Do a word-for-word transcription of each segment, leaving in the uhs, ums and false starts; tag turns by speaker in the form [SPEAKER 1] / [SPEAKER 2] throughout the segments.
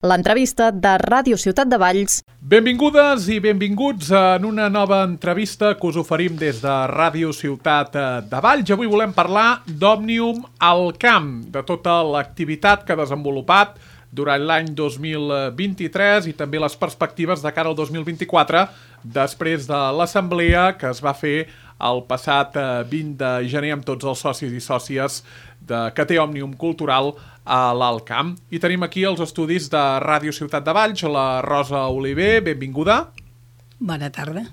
[SPEAKER 1] l'entrevista de Ràdio Ciutat de Valls.
[SPEAKER 2] Benvingudes i benvinguts en una nova entrevista que us oferim des de Ràdio Ciutat de Valls. Avui volem parlar d'Òmnium al Camp, de tota l'activitat que ha desenvolupat durant l'any dos mil vint-i-tres i també les perspectives de cara al dos mil vint-i-quatre, després de l'assemblea que es va fer el passat vint de gener amb tots els socis i sòcies de, que té Òmnium Cultural a l'Alt Camp. I tenim aquí els estudis de Ràdio Ciutat de Valls, la Rosa Oliver, benvinguda.
[SPEAKER 3] Bona tarda.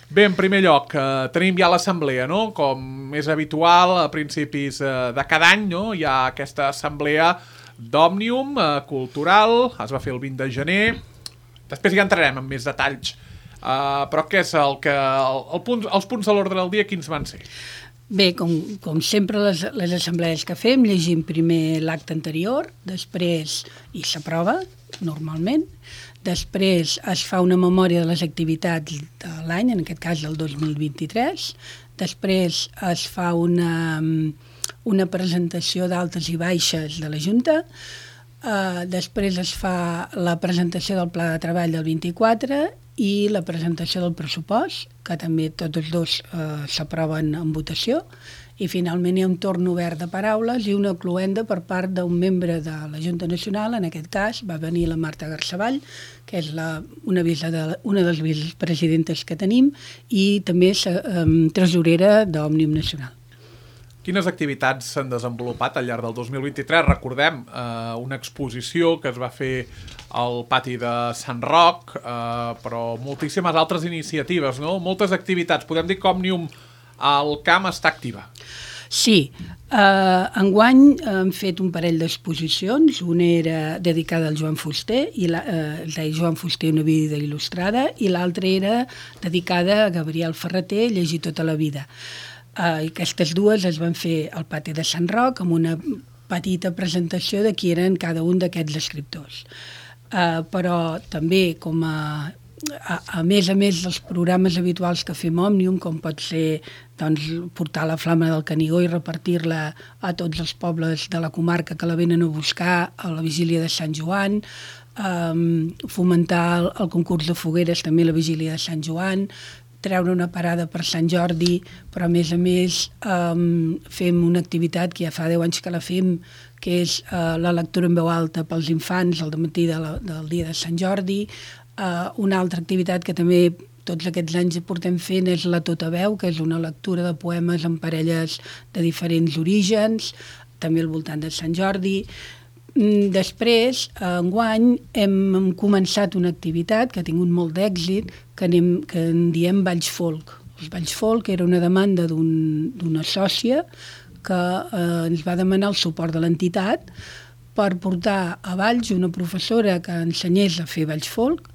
[SPEAKER 2] Bé, en primer lloc, eh, tenim ja l'assemblea, no? Com és habitual, a principis eh, de cada any, no? Hi ha aquesta assemblea d'Òmnium eh, Cultural, es va fer el vint de gener. Després ja entrarem en més detalls. Uh, però què és el que... El, el punt, els punts de l'ordre del dia, quins van ser?
[SPEAKER 3] Bé, com, com sempre les, les assemblees que fem, llegim primer l'acte anterior, després i s'aprova, normalment, després es fa una memòria de les activitats de l'any, en aquest cas del dos mil vint-i-tres, després es fa una, una presentació d'altes i baixes de la Junta, uh, després es fa la presentació del pla de treball del vint-i-quatre i la presentació del pressupost, que també tots els dos eh, s'aproven en votació, i finalment hi ha un torn obert de paraules i una cloenda per part d'un membre de la Junta Nacional. En aquest cas va venir la Marta Garceball, que és la, una, de, una de les vicepresidentes que tenim, i també és eh, tresorera d'Òmnium Nacional.
[SPEAKER 2] Quines activitats s'han desenvolupat al llarg del dos mil vint-i-tres? Recordem eh, una exposició que es va fer al pati de Sant Roc, eh, però moltíssimes altres iniciatives, no? Moltes activitats. Podem dir que Òmnium al Camp està activa.
[SPEAKER 3] Sí. Eh, enguany hem fet un parell d'exposicions. Una era dedicada al Joan Fuster, i la, eh, es deia Joan Fuster, una vida il·lustrada, i l'altra era dedicada a Gabriel Ferreter, Llegir tota la vida. Uh, aquestes dues es van fer al pati de Sant Roc amb una petita presentació de qui eren cada un d'aquests escriptors. Uh, però també com a, a, a més a més dels programes habituals que fem Òmnium, com pot ser doncs, portar la flama del Canigó i repartir-la a tots els pobles de la comarca que la venen a buscar a la vigília de Sant Joan, um, fomentar el, el concurs de fogueres també a la vigília de Sant Joan, treure una parada per Sant Jordi, però a més a més um, fem una activitat que ja fa deu anys que la fem, que és uh, la lectura en veu alta pels infants al matí de la, del dia de Sant Jordi. Uh, una altra activitat que també tots aquests anys portem fent és la Tota Veu, que és una lectura de poemes en parelles de diferents orígens, també al voltant de Sant Jordi. Després, enguany, hem començat una activitat que ha tingut molt d'èxit, que, anem, que en diem Valls Folk. Els Valls Folk era una demanda d'una sòcia que eh, ens va demanar el suport de l'entitat per portar a Valls una professora que ensenyés a fer Valls Folk.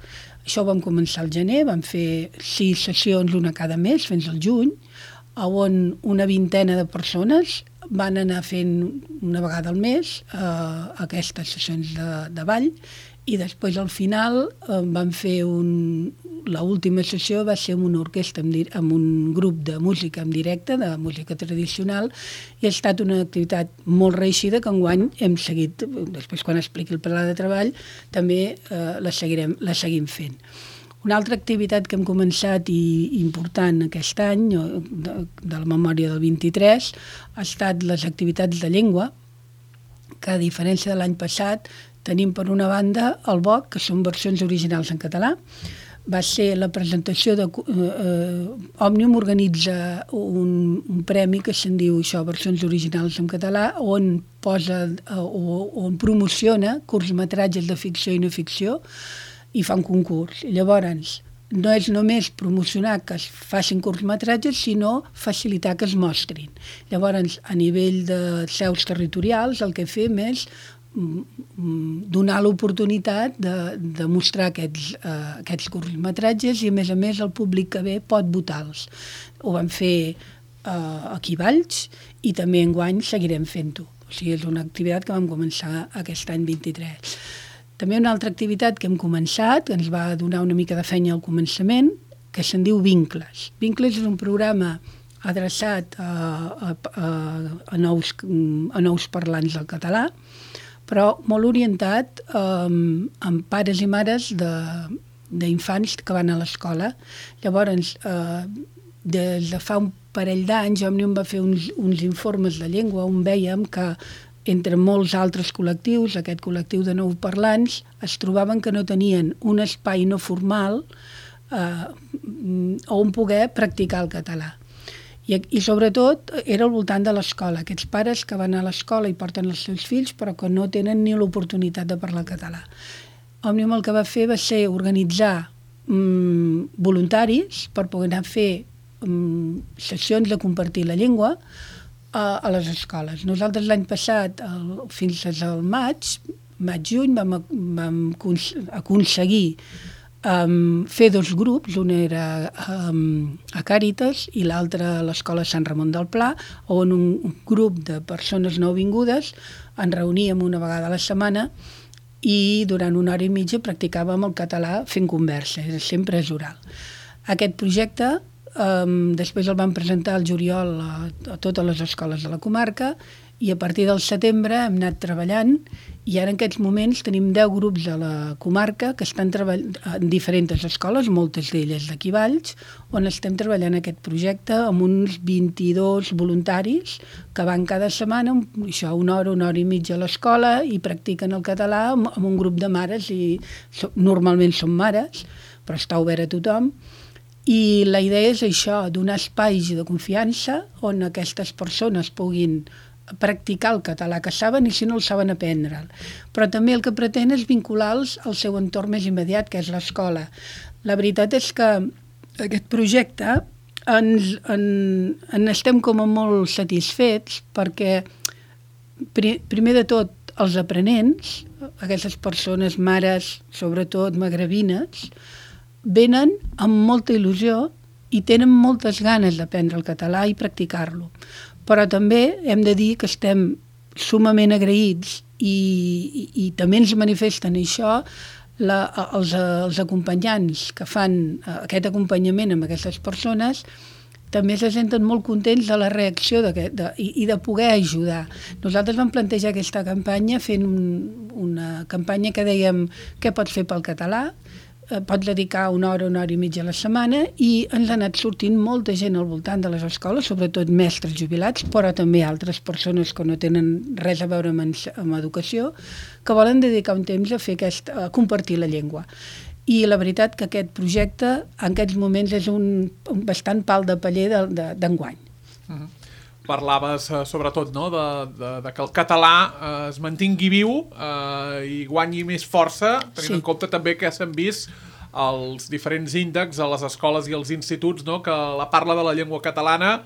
[SPEAKER 3] Això ho vam començar al gener, vam fer sis sessions, una cada mes, fins al juny, on una vintena de persones van anar fent una vegada al mes eh, aquestes sessions de, de ball, i després al final eh, van fer un... l'última sessió va ser amb una orquestra, amb, amb un grup de música en directe, de música tradicional, i ha estat una activitat molt reeixida que enguany hem seguit, després quan expliqui el pla de treball, també eh, la, seguirem, la seguim fent. Una altra activitat que hem començat i important aquest any, de, de la memòria del vint-i-tres, ha estat les activitats de llengua, que a diferència de l'any passat tenim per una banda el B O C, que són versions originals en català. Va ser la presentació de... Eh, Òmnium organitza un, un premi que se'n diu això, versions originals en català, on posa eh, o on promociona curtmetratges de ficció i no ficció, i fa un concurs. Llavors, no és només promocionar que es facin curtmetratges, sinó facilitar que es mostrin. Llavors, a nivell de seus territorials, el que fem és donar l'oportunitat de, de mostrar aquests, uh, aquests curtmetratges, i a més a més el públic que ve pot votar-los. Ho vam fer uh, aquí a Valls i també enguany seguirem fent-ho. O sigui, és una activitat que vam començar aquest any vint-i-tres. També una altra activitat que hem començat, que ens va donar una mica de feina al començament, que se'n diu Vincles. Vincles és un programa adreçat a, a, a, a, nous, a nous parlants del català, però molt orientat eh, amb pares i mares d'infants que van a l'escola. Llavors, eh, des de fa un parell d'anys, Òmnium va fer uns, uns informes de llengua on vèiem que entre molts altres col·lectius, aquest col·lectiu de nouparlants, es trobaven que no tenien un espai no formal eh, on poder practicar el català. I, I sobretot era al voltant de l'escola, aquests pares que van a l'escola i porten els seus fills però que no tenen ni l'oportunitat de parlar català. Òmnium el que va fer va ser organitzar mm, voluntaris per poder anar a fer mm, sessions de compartir la llengua a, a les escoles. Nosaltres l'any passat, el, fins al maig, maig-juny, vam, vam aconseguir Um, fer dos grups, un era um, a Càritas i l'altre a l'Escola Sant Ramon del Pla, on un, un grup de persones nouvingudes ens reuníem una vegada a la setmana i durant una hora i mitja practicàvem el català fent conversa, sempre és oral. Aquest projecte um, després el vam presentar al juliol a, a totes les escoles de la comarca i a partir del setembre hem anat treballant i ara en aquests moments tenim deu grups a la comarca que estan treballant en diferents escoles, moltes d'elles d'aquí Valls, on estem treballant aquest projecte amb uns vint-i-dos voluntaris que van cada setmana, això, una hora, una hora i mitja a l'escola i practiquen el català amb, amb un grup de mares i so, normalment són mares, però està obert a tothom. I la idea és això, donar espais de confiança on aquestes persones puguin practicar el català que saben i si no el saben aprendre'l. Però també el que pretén és vincular-los al seu entorn més immediat, que és l'escola. La veritat és que aquest projecte ens, en, en estem com a molt satisfets perquè pri, primer de tot els aprenents, aquestes persones, mares, sobretot magrebines, venen amb molta il·lusió i tenen moltes ganes d'aprendre el català i practicar-lo. Però també hem de dir que estem sumament agraïts i, i, i també ens manifesten això la, els, els acompanyants que fan aquest acompanyament amb aquestes persones també se senten molt contents de la reacció de, de, i, i de poder ajudar. Nosaltres vam plantejar aquesta campanya fent un, una campanya que dèiem què pots fer pel català, pots dedicar una hora, una hora i mitja a la setmana i ens ha anat sortint molta gent al voltant de les escoles, sobretot mestres jubilats, però també altres persones que no tenen res a veure amb, amb educació, que volen dedicar un temps a fer aquest, a compartir la llengua. I la veritat que aquest projecte en aquests moments és un, un bastant pal de paller d'enguany. De, de,
[SPEAKER 2] uh-huh. Parlaves eh, sobretot no, de, de, de que el català eh, es mantingui viu eh, i guanyi més força, tenint sí. en compte també que s'han vist els diferents índexs a les escoles i als instituts, no, que la parla de la llengua catalana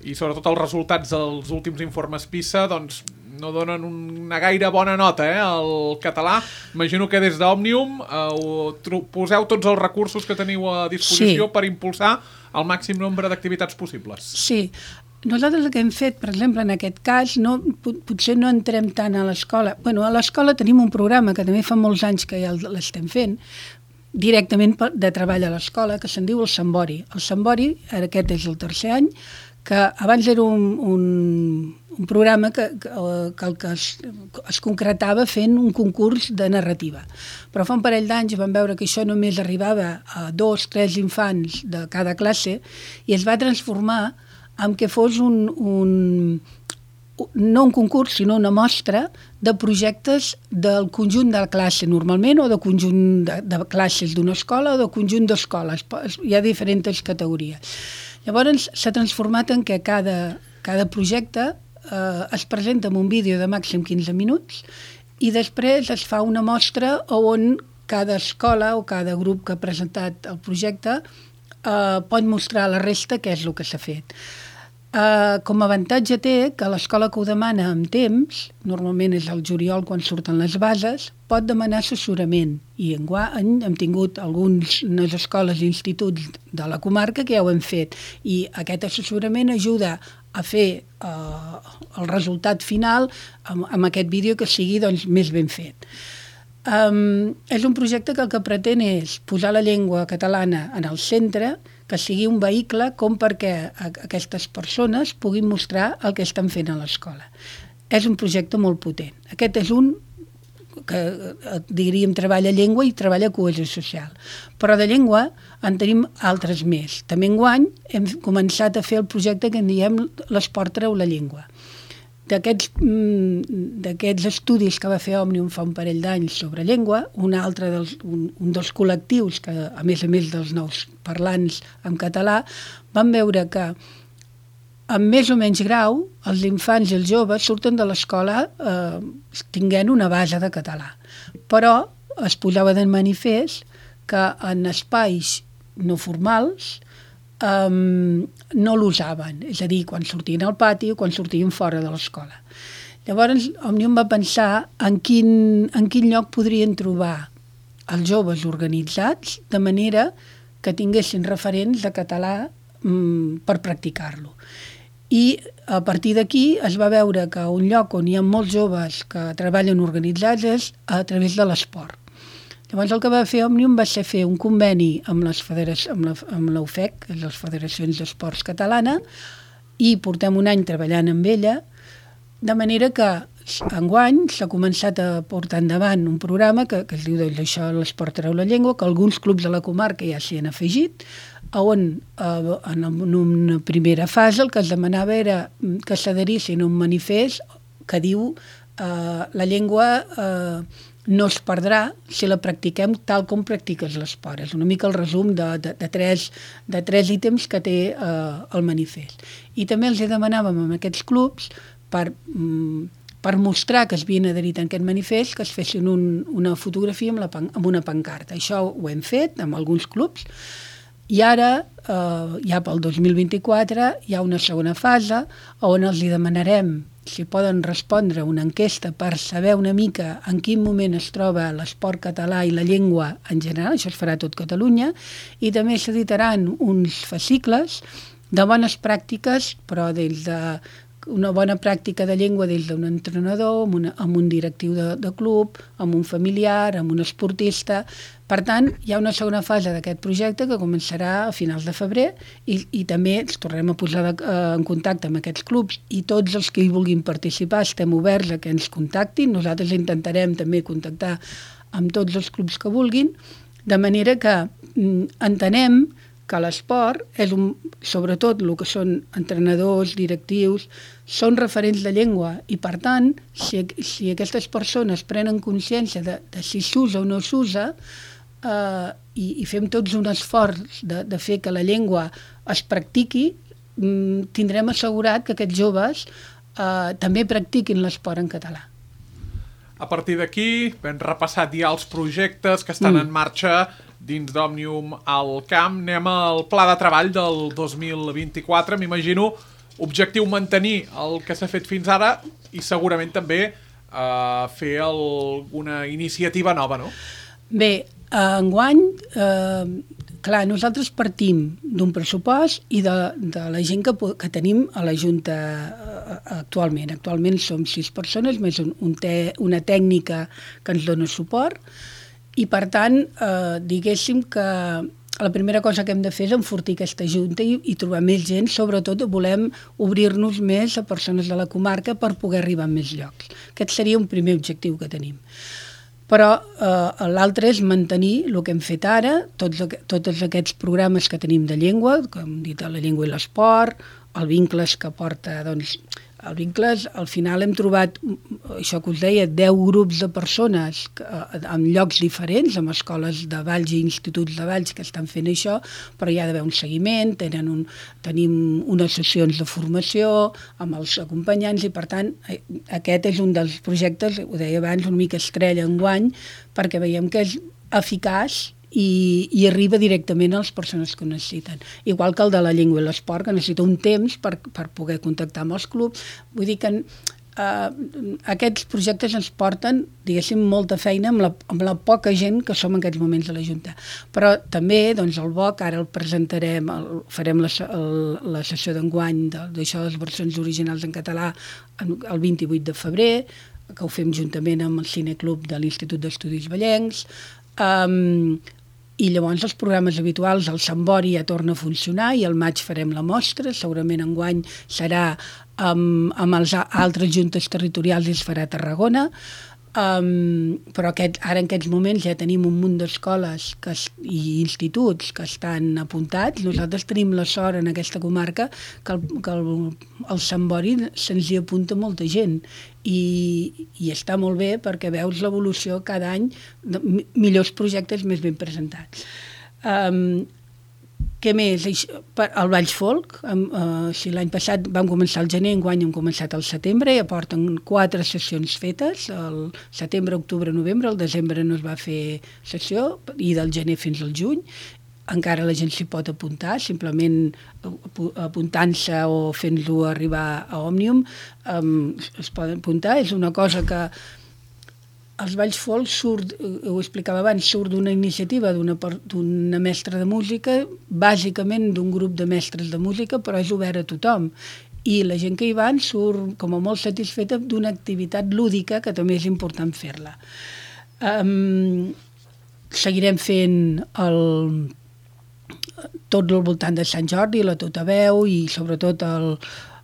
[SPEAKER 2] i sobretot els resultats dels últims informes PISA doncs, no donen una gaire bona nota eh, al català. Imagino que des d'Òmnium eh, poseu tots els recursos que teniu a disposició sí. per impulsar el màxim nombre d'activitats possibles.
[SPEAKER 3] Sí. Nosaltres el que hem fet, per exemple, en aquest cas, no, potser no entrem tant a l'escola. Bueno, a l'escola tenim un programa que també fa molts anys que ja l'estem fent, directament de treball a l'escola, que se'n diu el Sambori. El Sambori, aquest és el tercer any, que abans era un, un, un programa que, que, que el que es, es concretava fent un concurs de narrativa. Però fa un parell d'anys vam veure que això només arribava a dos, tres infants de cada classe i es va transformar en què fos un, un, no un concurs, sinó una mostra de projectes del conjunt de la classe normalment, o de conjunt de, de classes d'una escola o de conjunt d'escoles. Hi ha diferents categories. Llavors s'ha transformat en què cada, cada projecte eh, es presenta amb un vídeo de màxim quinze minuts i després es fa una mostra on cada escola o cada grup que ha presentat el projecte eh, pot mostrar a la resta què és el que s'ha fet. Uh, com a avantatge té que l'escola que ho demana amb temps, normalment és el juliol quan surten les bases, pot demanar assessorament i enguany hem tingut algunes escoles i instituts de la comarca que ja ho hem fet i aquest assessorament ajuda a fer uh, el resultat final amb, amb aquest vídeo que sigui doncs, més ben fet. Um, és un projecte que el que pretén és posar la llengua catalana en el centre, que sigui un vehicle com perquè aquestes persones puguin mostrar el que estan fent a l'escola. És un projecte molt potent. Aquest és un que eh, diríem treballa llengua i treballa cohesió social. Però de llengua en tenim altres més. També enguany hem començat a fer el projecte que en diem l'esport treu la llengua. D'aquests d'aquests estudis que va fer Òmnium fa un parell d'anys sobre llengua, un altre dels, un, un dels col·lectius que, a més a més dels nous parlants en català, van veure que amb més o menys grau, els infants i els joves surten de l'escola eh, tinguent una base de català. Però es posava de manifest que en espais no formals um, no l'usaven, és a dir, quan sortien al pati o quan sortien fora de l'escola. Llavors, Òmnium va pensar en quin, en quin lloc podrien trobar els joves organitzats de manera que tinguessin referents de català um, per practicar-lo. I a partir d'aquí es va veure que un lloc on hi ha molts joves que treballen organitzats és a través de l'esport. Llavors el que va fer Òmnium va ser fer un conveni amb les federacions, amb la, amb l'U F E C, les Federacions d'Esports Catalana, i portem un any treballant amb ella, de manera que enguany s'ha començat a portar endavant un programa que, que es diu doncs, això, l'esport treu la llengua, que alguns clubs de la comarca ja s'hi han afegit, on eh, en una primera fase el que es demanava era que s'adherissin a un manifest que diu eh, la llengua eh, no es perdrà si la practiquem tal com practiques l'esport. És una mica el resum de, de, de, tres, de tres ítems que té eh, el manifest. I també els demanàvem a aquests clubs per, mm, per mostrar que es havien adherit a aquest manifest que es fessin un, una fotografia amb, la, amb una pancarta. Això ho hem fet amb alguns clubs. I ara, eh, ja pel dos mil vint-i-quatre, hi ha una segona fase on els hi demanarem si poden respondre una enquesta per saber una mica en quin moment es troba l'esport català i la llengua en general, això es farà a tot Catalunya, i també s'editaran uns fascicles de bones pràctiques, però des de una bona pràctica de llengua des d'un entrenador, amb, una, amb un directiu de, de club, amb un familiar, amb un esportista. Per tant, hi ha una segona fase d'aquest projecte que començarà a finals de febrer i, i també ens tornarem a posar de, eh, en contacte amb aquests clubs i tots els que hi vulguin participar estem oberts a que ens contactin. Nosaltres intentarem també contactar amb tots els clubs que vulguin, de manera que mm, entenem que l'esport és un, sobretot el que són entrenadors, directius, són referents de llengua i per tant, si, si aquestes persones prenen consciència de, de si s'usa o no s'usa eh, i, i fem tots un esforç de, de fer que la llengua es practiqui, mm, tindrem assegurat que aquests joves eh, també practiquin l'esport en català.
[SPEAKER 2] A partir d'aquí, ben repassat ja els projectes que estan mm. en marxa dins d'Òmnium al camp, anem al pla de treball del dos mil vint-i-quatre, m'imagino, objectiu mantenir el que s'ha fet fins ara i segurament també eh, fer alguna iniciativa nova, no?
[SPEAKER 3] Bé, enguany, eh, clar, nosaltres partim d'un pressupost i de, de la gent que, que tenim a la Junta actualment. Actualment som sis persones, més un, un te, una tècnica que ens dona suport, i per tant, eh, diguéssim que la primera cosa que hem de fer és enfortir aquesta junta i, i trobar més gent, sobretot volem obrir-nos més a persones de la comarca per poder arribar a més llocs. Aquest seria un primer objectiu que tenim. Però eh, l'altre és mantenir el que hem fet ara, tots, tots aquests programes que tenim de llengua, com hem dit, la llengua i l'esport, el Vincles que porta, doncs, el Vincles, al final hem trobat, això que us deia, deu grups de persones que, en llocs diferents, amb escoles de Valls i instituts de Valls que estan fent això, però hi ha d'haver un seguiment, tenen un, tenim unes sessions de formació amb els acompanyants i, per tant, aquest és un dels projectes, ho deia abans, una mica estrella enguany, perquè veiem que és eficaç i, i arriba directament a les persones que ho necessiten. Igual que el de la llengua i l'esport, que necessita un temps per, per poder contactar amb els clubs. Vull dir que eh, aquests projectes ens porten, diguéssim, molta feina amb la, amb la poca gent que som en aquests moments a la Junta. Però també, doncs, el B O C, ara el presentarem, el, farem la, el, la sessió d'enguany d'això de les versions originals en català el vint-i-vuit de febrer, que ho fem juntament amb el Cineclub de l'Institut d'Estudis Vallencs, um, i llavors els programes habituals, el Sant Bori ja torna a funcionar i al maig farem la mostra, segurament enguany serà amb, amb els altres juntes territorials i es farà a Tarragona. Um, però aquest, ara en aquests moments ja tenim un munt d'escoles que es, i instituts que estan apuntats. Nosaltres tenim la sort en aquesta comarca que el, que el, el Sant Bori se'ns hi apunta molta gent i, i està molt bé perquè veus l'evolució cada any de millors projectes més ben presentats. Um, Què més? El Valls Folk, uh, si l'any passat vam començar al gener, enguany hem començat al setembre, ja porten quatre sessions fetes, el setembre, octubre, novembre, el desembre no es va fer sessió, i del gener fins al juny. Encara la gent s'hi pot apuntar, simplement apuntant-se o fent-lo arribar a Òmnium, um, es poden apuntar. És una cosa que els Valls Folk surt, ho explicava abans, surt d'una iniciativa d'una mestra de música, bàsicament d'un grup de mestres de música, però és obert a tothom. I la gent que hi van surt com a molt satisfeta d'una activitat lúdica que també és important fer-la. Um, seguirem fent el, tot al voltant de Sant Jordi, la Tota Veu i sobretot el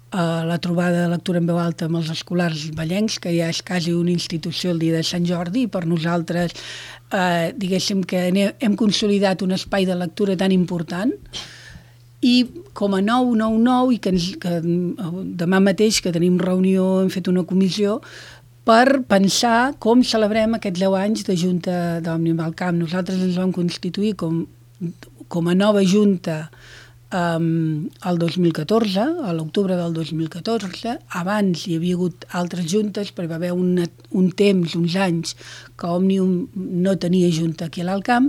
[SPEAKER 3] Uh, la trobada de lectura en veu alta amb els escolars vallencs, que ja és quasi una institució el dia de Sant Jordi, i per nosaltres uh, diguéssim que hem consolidat un espai de lectura tan important, i com a nou nou nou, i que, ens, que demà mateix que tenim reunió, hem fet una comissió per pensar com celebrem aquests deu anys de Junta d'Òmnium al Camp. Nosaltres ens vam constituir com, com a nova Junta Um, el dos mil catorze, a l'octubre del dos mil catorze. Abans hi havia hagut altres juntes, però hi va haver una, un temps, uns anys, que Òmnium no tenia junta aquí a l'Alt Camp,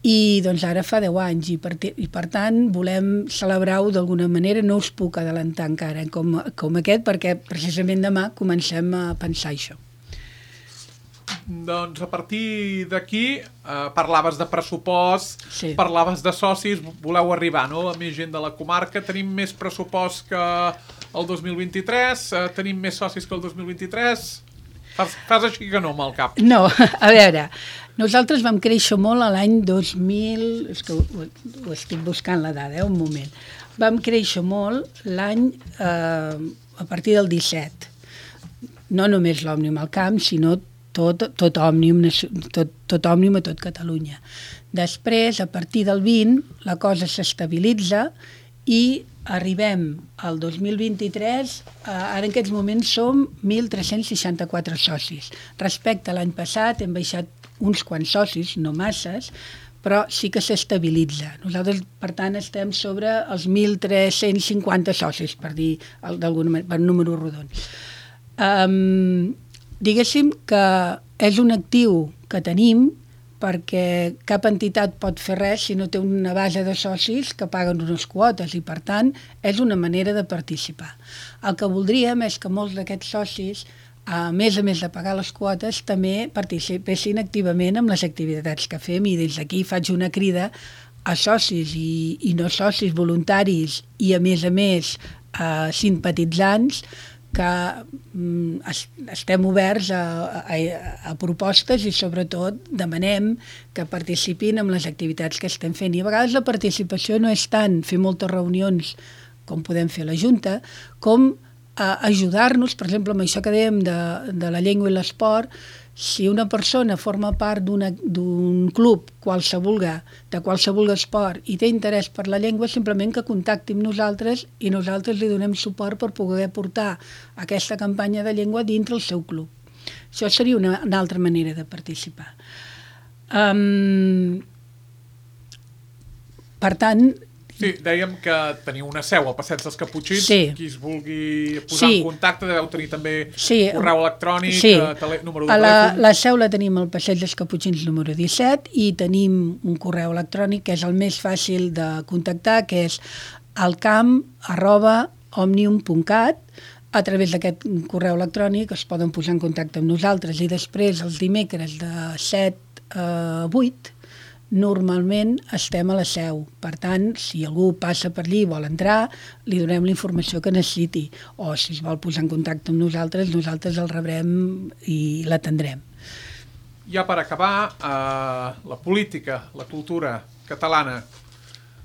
[SPEAKER 3] i doncs ara fa deu anys, i per, i per tant volem celebrar-ho d'alguna manera. No us puc adelantar encara com, com aquest, perquè precisament demà comencem a pensar això.
[SPEAKER 2] Doncs a partir d'aquí eh, parlaves de pressupost, sí. Parlaves de socis, voleu arribar, no?, a més gent de la comarca. Tenim més pressupost que el dos mil vint-i-tres, eh, tenim més socis que el dos mil vint-i-tres. Fas, fas així que no amb el cap.
[SPEAKER 3] No, a veure, nosaltres vam créixer molt a l'any dos mil... És que ho, ho estic buscant la dada, eh, un moment. Vam créixer molt l'any eh, a partir del disset. No només l'Òmnium al Camp, sinó tot, tot, Òmnium, tot, tot Òmnium a tot Catalunya. Després, a partir del vint, la cosa s'estabilitza i arribem al dos mil vint-i-tres, eh, ara en aquests moments som mil tres-cents seixanta-quatre socis. Respecte a l'any passat hem baixat uns quants socis, no masses, però sí que s'estabilitza. Nosaltres, per tant, estem sobre els mil tres-cents cinquanta socis, per dir d'alguna manera, per números rodons. Um, diguéssim que és un actiu que tenim perquè cap entitat pot fer res si no té una base de socis que paguen unes quotes i, per tant, és una manera de participar. El que voldríem és que molts d'aquests socis, a més a més de pagar les quotes, també participessin activament amb les activitats que fem, i des d'aquí faig una crida a socis i, i no socis voluntaris i, a més a més, a simpatitzants, que mm, estem oberts a, a, a propostes i sobretot demanem que participin en les activitats que estem fent. I a vegades la participació no és tant fer moltes reunions com podem fer a la Junta, com a ajudar-nos, per exemple, amb això que dèiem de, de la llengua i l'esport. Si una persona forma part d'un club qualsevol, de qualsevol esport i té interès per la llengua, simplement que contacti amb nosaltres i nosaltres li donem suport per poder portar aquesta campanya de llengua dintre el seu club. Això seria una, una altra manera de participar. Um, per tant...
[SPEAKER 2] Sí, dèiem que teniu una seu al Passeig dels Caputxins.
[SPEAKER 3] Sí.
[SPEAKER 2] Qui es vulgui posar sí. en contacte deveu tenir també
[SPEAKER 3] sí.
[SPEAKER 2] correu electrònic,
[SPEAKER 3] sí.
[SPEAKER 2] tele, número de
[SPEAKER 3] la,
[SPEAKER 2] telèfon.
[SPEAKER 3] La seu la tenim al Passeig dels Caputxins número disset i tenim un correu electrònic que és el més fàcil de contactar, que és alcamp arroba òmnium punt cat. A través d'aquest correu electrònic es poden posar en contacte amb nosaltres, i després els dimecres de set a vuit normalment estem a la seu. Per tant, si algú passa per allí i vol entrar, li donem la informació que necessiti, o si es vol posar en contacte amb nosaltres, nosaltres el rebrem i l'atendrem.
[SPEAKER 2] Ja per acabar, eh, la política, la cultura catalana,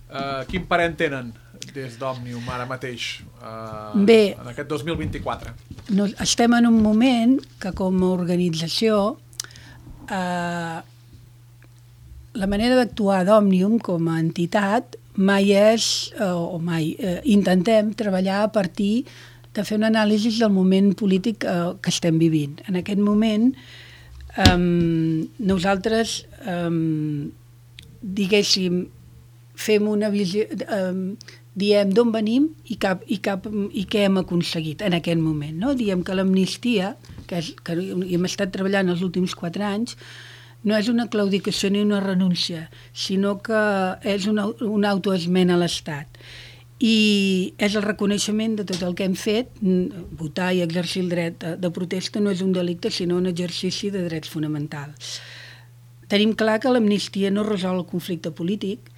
[SPEAKER 2] eh, quin parent tenen? des d'Òmnium ara mateix, eh,
[SPEAKER 3] Bé,
[SPEAKER 2] en aquest dos mil vint-i-quatre?
[SPEAKER 3] No, estem en un moment que com a organització eh, la manera d'actuar d'Òmnium com a entitat mai és, eh, o mai, eh, intentem treballar a partir de fer una anàlisi del moment polític eh, que estem vivint. En aquest moment eh, nosaltres eh, diguéssim fem una visió, eh, diem d'on venim i, cap, i, cap, i què hem aconseguit en aquest moment. No? Diem que l'amnistia, que, és, que hem estat treballant els últims quatre anys, no és una claudicació ni una renúncia, sinó que és una, una autoesmena a l'Estat. I és el reconeixement de tot el que hem fet. Votar i exercir el dret de protesta no és un delicte, sinó un exercici de drets fonamentals. Tenim clar que l'amnistia no resol el conflicte polític,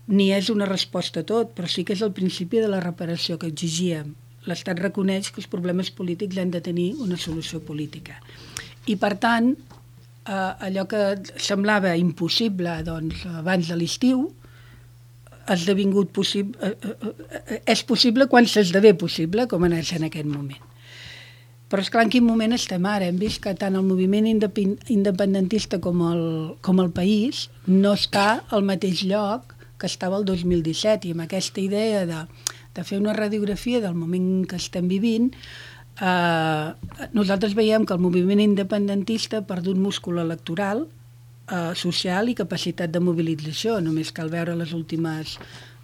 [SPEAKER 3] ni és una resposta a tot, però sí que és el principi de la reparació que exigíem. L'Estat reconeix que els problemes polítics han de tenir una solució política. I, per tant, eh, allò que semblava impossible doncs, abans de l'estiu, ha esdevingut possible, eh, eh, és possible quan s'esdevé possible, com és en aquest moment. Però esclar, en quin moment estem ara? Hem vist que tant el moviment independentista com el, com el país no està al mateix lloc que estava el dos mil disset, i amb aquesta idea de, de fer una radiografia del moment que estem vivint, eh, nosaltres veiem que el moviment independentista ha perdut múscul electoral, eh, social i capacitat de mobilització. Només cal veure les últimes,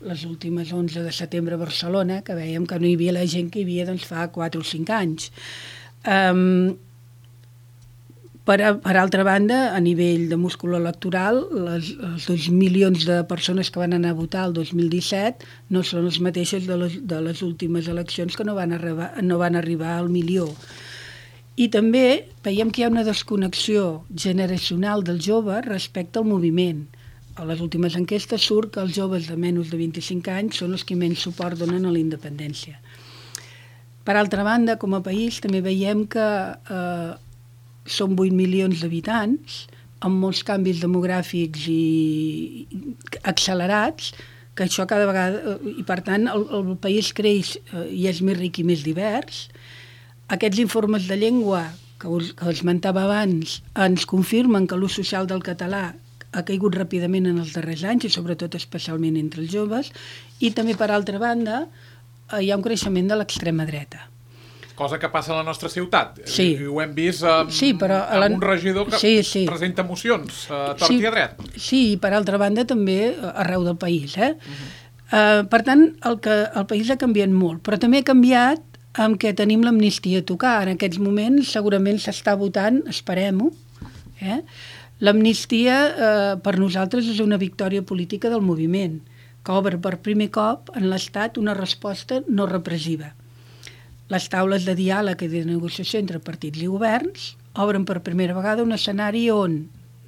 [SPEAKER 3] les últimes onze de setembre a Barcelona, que veiem que no hi havia la gent que hi havia doncs, fa quatre o cinc anys. Eh, Per, per altra banda, a nivell de múscul electoral, les, els dos milions de persones que van anar a votar el dos mil disset no són les mateixes de les, de les últimes eleccions que no van, arribar, no van arribar al milió. I també veiem que hi ha una desconnexió generacional del jove respecte al moviment. A les últimes enquestes surt que els joves de menys de vint-i-cinc anys són els que menys suport donen a la independència. Per altra banda, com a país, també veiem que eh, són vuit milions d'habitants, amb molts canvis demogràfics i accelerats, que això cada vegada... I per tant, el, el país creix i és més ric i més divers. Aquests informes de llengua que us, que esmentava abans ens confirmen que l'ús social del català ha caigut ràpidament en els darrers anys, i sobretot especialment entre els joves. I també, per altra banda, hi ha un creixement de l'extrema dreta.
[SPEAKER 2] Cosa que passa a la nostra ciutat.
[SPEAKER 3] Sí.
[SPEAKER 2] I ho hem vist amb,
[SPEAKER 3] sí, però la...
[SPEAKER 2] amb un regidor que
[SPEAKER 3] sí, sí.
[SPEAKER 2] presenta mocions a tort
[SPEAKER 3] sí,
[SPEAKER 2] i a dret.
[SPEAKER 3] Sí, i per altra banda també arreu del país. Eh? Uh-huh. uh, per tant, el, que, el país ha canviat molt, però també ha canviat amb què tenim l'amnistia a tocar. En aquests moments segurament s'està votant, esperem-ho. Eh? L'amnistia eh, per nosaltres és una victòria política del moviment, que obre per primer cop en l'Estat una resposta no repressiva. Les taules de diàleg i de negociació entre partits i governs obren per primera vegada un escenari on,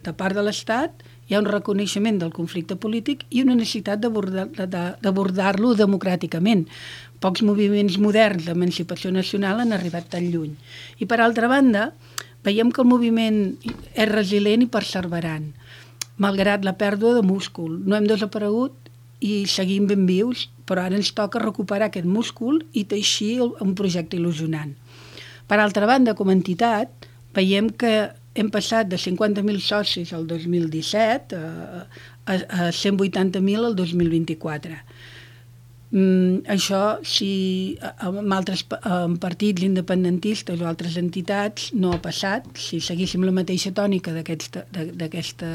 [SPEAKER 3] de part de l'Estat, hi ha un reconeixement del conflicte polític i una necessitat d'abordar-lo democràticament. Pocs moviments moderns d'emancipació nacional han arribat tan lluny. I per altra banda, veiem que el moviment és resilient i perseverant, malgrat la pèrdua de múscul. No hem desaparegut i seguim ben vius, però ara ens toca recuperar aquest múscul i teixir un projecte il·lusionant. Per altra banda, com a entitat, veiem que hem passat de cinquanta mil socis el dos mil disset a, a, a cent vuitanta mil el dos mil vint-i-quatre. Mm, això, si amb altres amb partits independentistes o altres entitats no ha passat, si seguíssim la mateixa tònica d'aquests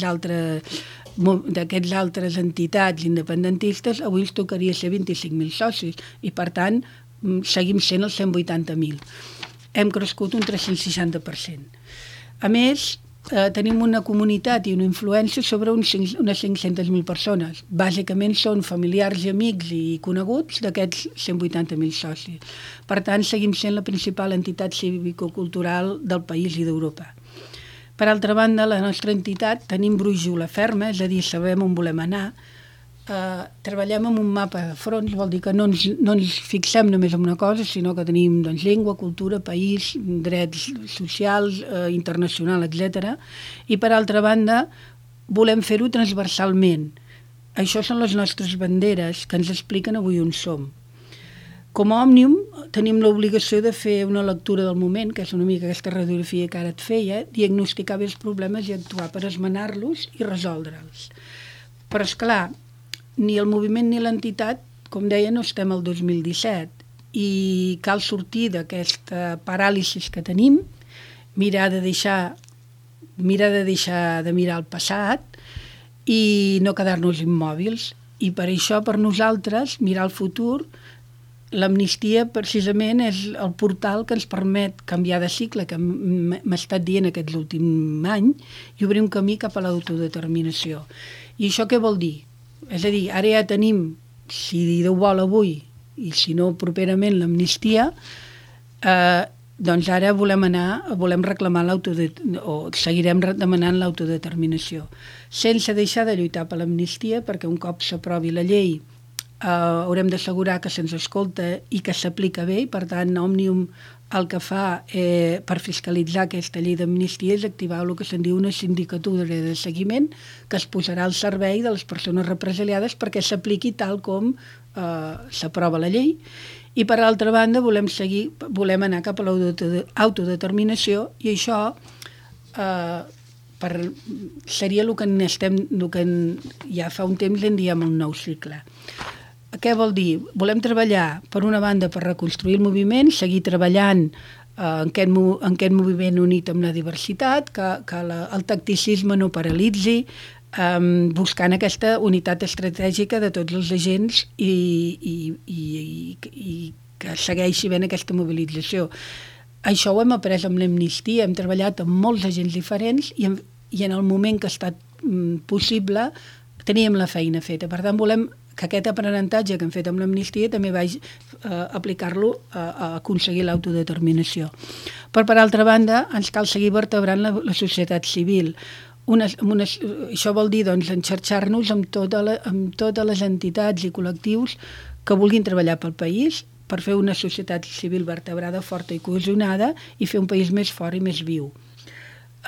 [SPEAKER 3] altres d'aquests altres entitats independentistes, avui ens tocaria ser vint-i-cinc mil socis i, per tant, seguim sent els cent vuitanta mil. Hem crescut un tres-cents seixanta per cent. A més, eh, tenim una comunitat i una influència sobre uns cinc, unes cinc-centes mil persones. Bàsicament són familiars i amics i coneguts d'aquests cent vuitanta mil socis. Per tant, seguim sent la principal entitat cívico-cultural del país i d'Europa. Per altra banda, la nostra entitat tenim brúixola ferma, és a dir, sabem on volem anar. Eh, treballem amb un mapa de fronts, vol dir que no ens, no ens fixem només en una cosa, sinó que tenim doncs, llengua, cultura, país, drets socials, eh, internacional, etcètera. I per altra banda, volem fer-ho transversalment. això són les nostres banderes que ens expliquen avui on som. Com a Òmnium tenim l'obligació de fer una lectura del moment, que és una mica aquesta radiografia que ara et feia, diagnosticar bé els problemes i actuar per esmenar-los i resoldre'ls. Però, esclar, ni el moviment ni l'entitat, com deia, no estem al dos mil disset i cal sortir d'aquesta paràlisi que tenim, mirar de deixar, mirar de deixar de mirar el passat i no quedar-nos immòbils. I per això, per nosaltres, mirar el futur, l'amnistia precisament és el portal que ens permet canviar de cicle, que m'ha estat dient aquest últim any, i obrir un camí cap a l'autodeterminació. I això què vol dir? És a dir, ara ja tenim, si Déu vol avui, i si no properament l'amnistia, eh, doncs ara volem anar, volem reclamar l'autodeterminació, o seguirem demanant l'autodeterminació, sense deixar de lluitar per l'amnistia, perquè un cop s'aprovi la llei Uh, haurem d'assegurar que se'ns escolta i que s'aplica bé, i per tant Òmnium el que fa eh, per fiscalitzar aquesta llei d'amnistia és activar el que se'n diu una sindicatura de seguiment que es posarà al servei de les persones represaliades perquè s'apliqui tal com eh, s'aprova la llei. I per altra banda volem seguir, volem anar cap a l'autodeterminació, i això eh, per, seria el que, estem, el que ja fa un temps en diem el nou cicle. Què vol dir? Volem treballar, per una banda, per reconstruir el moviment, seguir treballant eh, en, aquest, en aquest moviment unit amb la diversitat, que, que la, el tacticisme no paralitzi, eh, buscant aquesta unitat estratègica de tots els agents i, i, i, i, i que segueixi ben aquesta mobilització. Això ho hem après amb l'amnistia, hem treballat amb molts agents diferents i en, i en el moment que ha estat mm, possible teníem la feina feta. Per tant, volem que aquest aprenentatge que hem fet amb l'amnistia també vaig eh, aplicar-lo a, a aconseguir l'autodeterminació. Però, per altra banda, ens cal seguir vertebrant la, la societat civil. Unes, unes, això vol dir doncs, enxarxar-nos amb, tota la, amb totes les entitats i col·lectius que vulguin treballar pel país per fer una societat civil vertebrada, forta i cohesionada i fer un país més fort i més viu.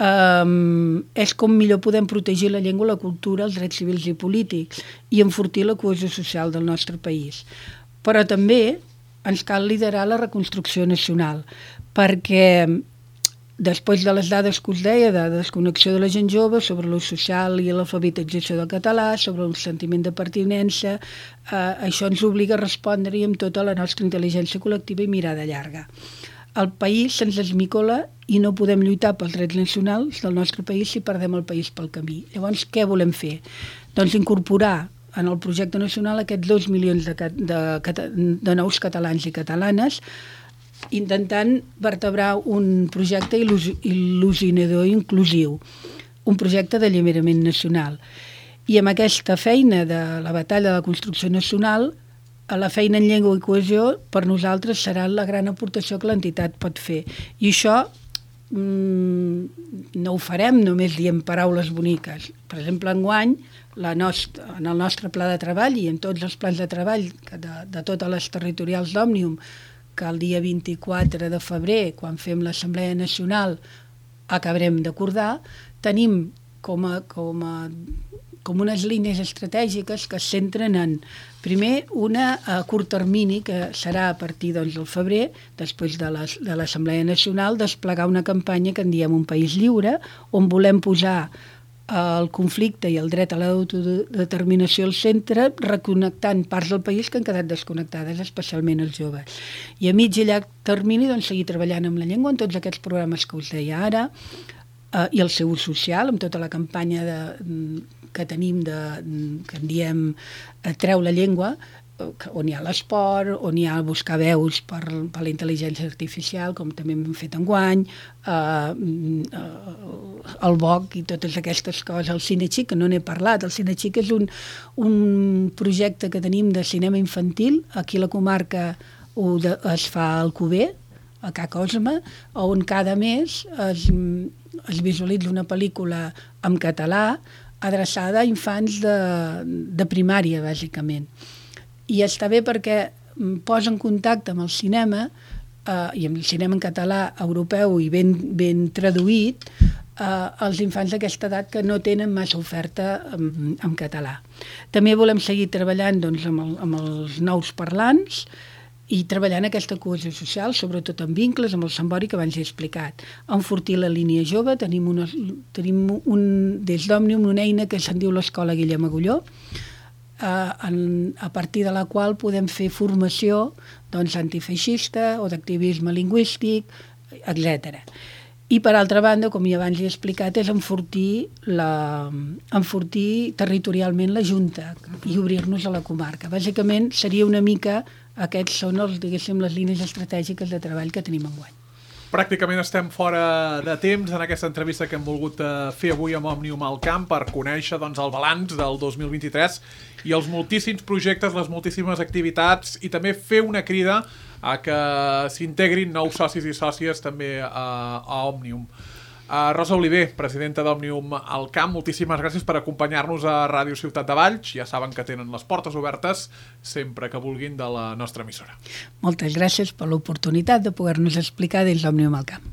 [SPEAKER 3] Um, és com millor podem protegir la llengua, la cultura, els drets civils i polítics i enfortir la cohesió social del nostre país. Però també ens cal liderar la reconstrucció nacional, perquè després de les dades que us deia, de desconnexió de la gent jove, sobre l'ús social i l'alfabetització del català, sobre el sentiment de pertinença, eh, això ens obliga a respondre-hi amb tota la nostra intel·ligència col·lectiva i mirada llarga. El país se'ns esmicola i no podem lluitar pels drets nacionals del nostre país si perdem el país pel camí. Llavors, què volem fer? Doncs incorporar en el projecte nacional aquests dos milions de, de, de nous catalans i catalanes, intentant vertebrar un projecte il·lusionador i inclusiu, un projecte d'alliberament nacional. I amb aquesta feina de la batalla de la construcció nacional, la feina en llengua i cohesió per nosaltres serà la gran aportació que l'entitat pot fer. I això mmm, no ho farem només dient paraules boniques. Per exemple, enguany, la nostra, en el nostre pla de treball i en tots els plans de treball de, de totes les territorials d'Òmnium, que el dia vint-i-quatre de febrer, quan fem l'Assemblea Nacional, acabarem d'acordar, tenim com a, com a com unes línies estratègiques que es centren en, primer, una a curt termini, que serà a partir doncs, del febrer, després de l'Assemblea Nacional, desplegar una campanya que en diem Un País Lliure, on volem posar el conflicte i el dret a l'autodeterminació al centre, reconnectant parts del país que han quedat desconnectades, especialment els joves. I a mig i llarg termini, doncs, seguir treballant amb la llengua en tots aquests programes que us deia ara, eh, i el seu ús social, amb tota la campanya de que tenim, de, que en diem Treu la llengua, on hi ha l'esport, on hi ha buscar veus per, per la intel·ligència artificial, com també hem fet enguany, eh, el B O C i totes aquestes coses, el Cinexic, que no n'he parlat. El Cinexic és un, un projecte que tenim de cinema infantil, aquí a la comarca ho de, es fa al Cuber, a Ca Cosme, on cada mes es, es visualitza una pel·lícula en català, adreçada a infants de, de primària, bàsicament. I està bé perquè posa en contacte amb el cinema, eh, i amb el cinema en català europeu i ben, ben traduït, eh, als infants d'aquesta edat que no tenen massa oferta en, en català. També volem seguir treballant doncs, amb, el, amb els nous parlants i treballant aquesta cohesió social, sobretot en vincles, amb el Sambori que abans he explicat. Enfortir la línia jove, tenim, una, tenim un, des d'Òmnium una eina que se'n diu l'Escola Guillem Agulló, eh, en, a partir de la qual podem fer formació doncs, antifeixista o d'activisme lingüístic, etcètera. I, per altra banda, com ja abans he explicat, és enfortir, la, enfortir territorialment la Junta i obrir-nos a la comarca. Bàsicament, seria una mica, aquests són els, diguéssim, les línies estratègiques de treball que tenim enguany.
[SPEAKER 2] Pràcticament estem fora de temps en aquesta entrevista que hem volgut fer avui amb Òmnium al Camp per conèixer doncs, el balanç del dos mil vint-i-tres i els moltíssims projectes, les moltíssimes activitats i també fer una crida a que s'integrin nous socis i sòcies també a, a Òmnium. Uh, Rosa Oliver, presidenta d'Òmnium al Camp, moltíssimes gràcies per acompanyar-nos a Ràdio Ciutat de Valls. Ja saben que tenen les portes obertes sempre que vulguin de la nostra emissora.
[SPEAKER 3] Moltes gràcies per l'oportunitat de poder-nos explicar des d'Òmnium al Camp.